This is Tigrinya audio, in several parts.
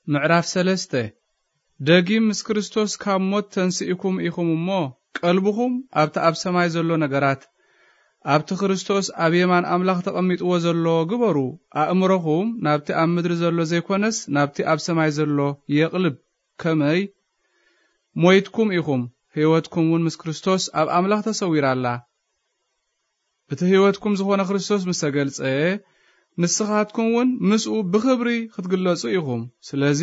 ምዕራፍ ሰለስተ። ደጊም ምስ ክርስቶስ ካብ ሞት ተንስኢኩም ኢኹም እሞ፣ ቀልብኹም ኣብቲ ኣብ ሰማይ ዘሎ ነገራት፣ ኣብቲ ክርስቶስ ኣብ የማን ኣምላኽ ተቐሚጥዎ ዘሎ ግበሩ። ኣእምሮኹም ናብቲ ኣብ ምድሪ ዘሎ ዘይኮነስ፣ ናብቲ ኣብ ሰማይ ዘሎ የቕልብ። ከመይ? ሞይትኩም ኢኹም፣ ህይወትኩም እውን ምስ ክርስቶስ ኣብ ኣምላኽ ተሰዊራ ኣላ። እቲ ህይወትኩም ዝኾነ ክርስቶስ ምስ ተገልጸ፣ ንስኻትኩም እውን ምስኡ ብኽብሪ ክትግለጹ ኢኹም። ስለዚ፣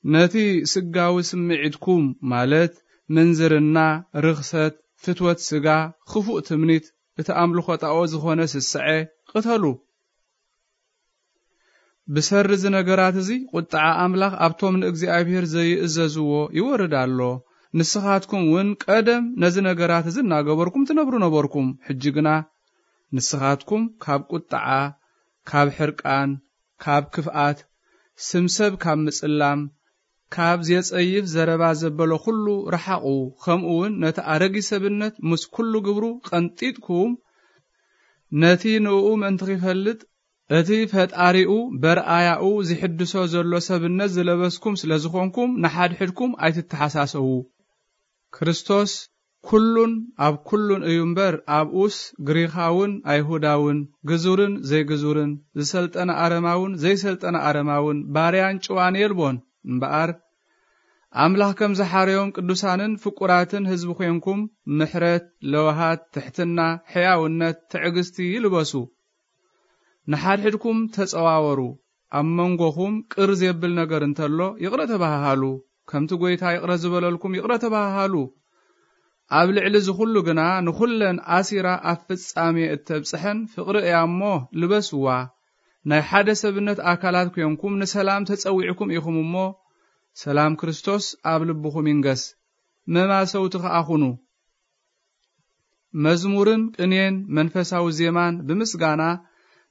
ነቲ ስጋዊ ስምዒትኩም፣ ማለት ምንዝርና፣ ርኽሰት፣ ፍትወት ስጋ፣ ክፉእ ትምኒት፣ እቲ ኣምልኾ ጣኦት ዝኾነ ስስዐ፣ ቅተሉ። ብሰሪ እዚ ነገራት እዚ፣ ቁጥዓ ኣምላኽ ኣብቶም ንእግዚኣብሔር ዘይእዘዝዎ ይወርድ ኣሎ። ንስኻትኩም እውን ቀደም ነዚ ነገራት እዚ እናገበርኩም ትነብሩ ነበርኩም። ሕጂ ግና ንስኻትኩም ካብ ቁጥዓ፣ ካብ ሕርቃን፣ ካብ ክፍኣት፣ ስም ሰብ ካብ ምጽላም፣ ካብ ዜጸይፍ ዘረባ ዘበሎ ኩሉ ረሓቑ። ከምኡ እውን ነቲ ኣረጊ ሰብነት ምስ ኩሉ ግብሩ ቀንጢጥኩም፣ ነቲ ንእኡ ምእንቲ ኺፈልጥ፣ እቲ ፈጣሪኡ በርኣያኡ ዚሕድሶ ዘሎ ሰብነት ዝለበስኩም ስለ ዝኾንኩም፣ ንሓድሕድኩም ኣይትተሓሳሰዉ። ክርስቶስ ኩሉን ኣብ ኩሉን እዩ እምበር፣ ኣብኡስ ግሪኻውን ኣይሁዳውን፣ ግዙርን ዘይግዙርን፣ ዝሰልጠነ ኣረማውን ዘይሰልጠነ ኣረማውን፣ ባርያን ጭዋን የልቦን። እምበኣር፣ ኣምላኽ ከም ዝሓረዮም ቅዱሳንን ፍቁራትን ህዝቢ ኾንኩም፣ ምሕረት፣ ለውሃት፣ ትሕትና፣ ሕያውነት፣ ትዕግስቲ ይልበሱ። ንሓድሕድኩም ተጸዋወሩ። ኣብ መንጎኹም ቅር ዜብል ነገር እንተሎ፣ ይቕረ ተባሃሃሉ። ከምቲ ጐይታ ይቕረ ዝበለልኩም፣ ይቕረ ተባሃሃሉ። ኣብ ልዕሊ እዚ ኹሉ ግና፣ ንኹለን ኣሲራ ኣብ ፍጻሜ እተብጽሐን ፍቕሪ እያ እሞ፣ ልበስዋ። ናይ ሓደ ሰብነት ኣካላት ኴንኩም፣ ንሰላም ተጸዊዕኩም ኢኹም እሞ፣ ሰላም ክርስቶስ ኣብ ልብኹም ይንገስ። መማሰውቲ ኸኣ ኹኑ። መዝሙርን ቅኔን መንፈሳዊ ዜማን ብምስጋና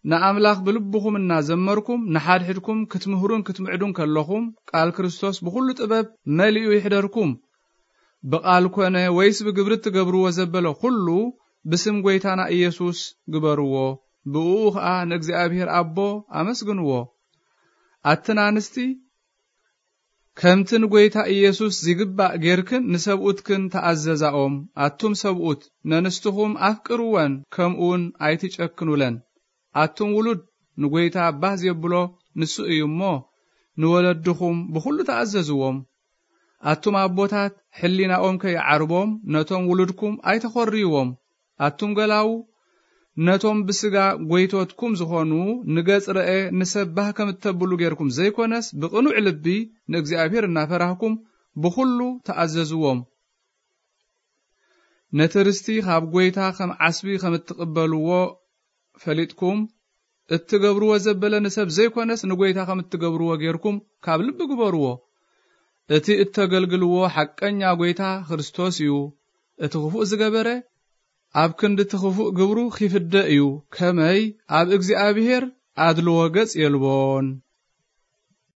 ንኣምላኽ ብልብኹም እናዘመርኩም፣ ንሓድሕድኩም ክትምህሩን ክትምዕዱን ከለኹም፣ ቃል ክርስቶስ ብኹሉ ጥበብ መሊኡ ይሕደርኩም። ብቓል ኮነ ወይስ ብግብሪ እትገብርዎ ዘበለ ኩሉ፣ ብስም ጐይታና ኢየሱስ ግበርዎ። ብእኡ ኸኣ ንእግዚኣብሔር ኣቦ ኣመስግንዎ። ኣትን ኣንስቲ፣ ከምቲ ንጐይታ ኢየሱስ ዚግባእ ጌርክን ንሰብኡትክን ተኣዘዛኦም። ኣቱም ሰብኡት፣ ነንስትኹም ኣፍቅርወን፣ ከምኡውን ኣይትጨክኑለን። ኣቱም ውሉድ፣ ንጐይታ ባህ ዜብሎ ንሱ እዩ እሞ፣ ንወለድኹም ብኹሉ ተኣዘዝዎም። ኣቱም ኣቦታት፣ ሕሊናኦም ከይዓርቦም፣ ነቶም ውሉድኩም ኣይተኾርይዎም። ኣቱም ገላዉ፣ ነቶም ብስጋ ጐይቶትኩም ዝኾኑ፣ ንገጽ ረኤ ንሰብ ባህ ከም እተብሉ ጌርኩም ዘይኮነስ፣ ብቕኑዕ ልቢ ንእግዚኣብሔር እናፈራህኩም፣ ብኹሉ ተኣዘዝዎም። ነቲ ርስቲ ኻብ ጐይታ ኸም ዓስቢ ኸም እትቕበልዎ ፈሊጥኩም፣ እትገብርዎ ዘበለ ንሰብ ዘይኮነስ፣ ንጐይታ ኸም እትገብርዎ ጌርኩም ካብ ልቢ ግበርዎ። እቲ እተገልግልዎ ሓቀኛ ጐይታ ክርስቶስ እዩ። እቲ ኽፉእ ዝገበረ፣ ኣብ ክንዲ እቲ ኽፉእ ግብሩ ኺፍደ እዩ። ከመይ ኣብ እግዚኣብሔር ኣድልዎ ገጽ የልቦን።